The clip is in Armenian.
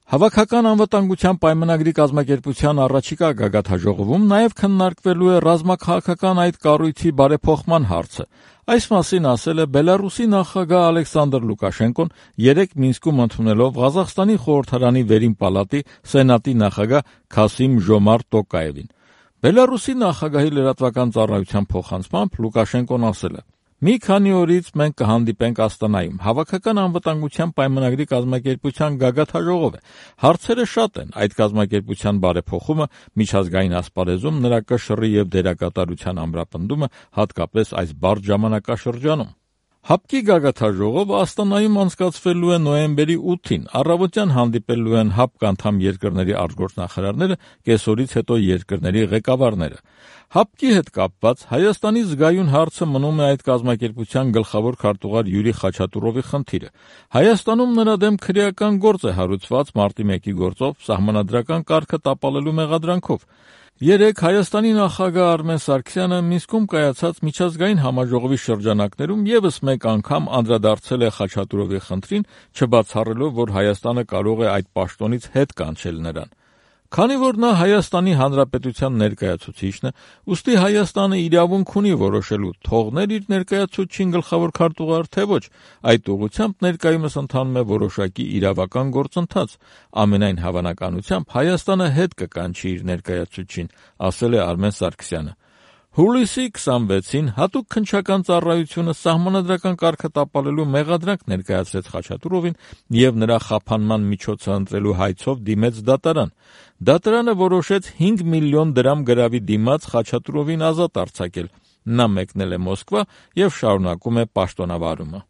Հավաքական անվտանգության պայմանագրի կազմակերպության առաջիկա գագաթնաժողովում նաև քննարկվելու է ռազմաքաղաքական այդ կառույցի բարեփոխման հարցը։ Այս մասին ասել է Բելարուսի նախագահ Ալեքսանդր Լուկաշենկոն երեկ Մինսկում ընդունելով Ղազախստանի խորհրդարանի վերին պալատի սենատի նախագահ Քասիմ Ժոմարտ Տոկաևին։ Բելարուսի նախագահի լրատվական ծառայության փոխանցմամբ Լուկաշենկոն ասել է. «Մի քանի օրից մենք կհանդիպենք Աստանայում, հավաքական անվտանգության պայմանագրի կազմակերպության գագաթնաժողով է։ Հարցերը շատ են, այդ կազմակերպության բարեփոխումը, միջազգային ասպարեզում նրա կշռի եւ դերակատարության ամրապնդումը, հատկապես այս բարդ ժամանակաշրջանում»։ ՀԱՊԿ-ի գագաթնաժողովը Աստանայում անցկացվելու է նոյեմբերի 8-ին, առավոտյան հանդիպելու են ՀԱՊԿ անդամ երկրների արտգործնախարարները, կեսօրից հետո երկրների ղեկավարները։ ՀԱՊԿ-ի հետ կապված Հայաստանի զգայուն հարցը մնում է այդ կազմակերպության գլխավոր քարտուղար Յուրի Խաչատուրովի խնդիրը։ Հայաստանում նրա դեմ քրեական գործ է հարուցված մարտի 1-ի գործով սահմանադրական կարգը տապալելու մեղադրանքով։ Երեկ Հայաստանի նախագահ Արմեն Սարգսյանը Մինսկում կայացած միջազգային համաժողովի շրջանակներում ևս մեկ անգամ անդրադարձել է Խաչատուրովի խնդրին, չբացառելով, որ Հայաստանը կարող է այդ պաշտոնից հետ կանչել նրան։ Քանի որ նա Հայաստանի Հանրապետության ներկայացուցիչն է, ուստի Հայաստանը իրավունք ունի որոշելու թողնել իր ներկայացուցչին գլխավոր քարտուղար, թե ոչ, այդ ուղղությամբ ներկայումս ընթանում է որոշակի իրավական գործընթաց։ Ամենայն հավանականությամբ Հայաստանը հետ կկանչի իր ներկայացուցչին, ասել է Արմեն Սարգսյանը։ Հուլիսի 26-ին հատուկ քննչական ծառայությունը սահմանադրական կարգը տապալելու մեղադրանք ներկայացրեց Խաչատուրովին եւ նրա խափանման միջոցը ընտրելու հայցով դիմեց դատարան։ Դատարանը որոշեց 5 միլիոն դրամ գրավի դիմաց Խաչատուրովին ազատ արձակել։ Նա մեկնել է Մոսկվա եւ շարունակում է պաշտոնավարումը։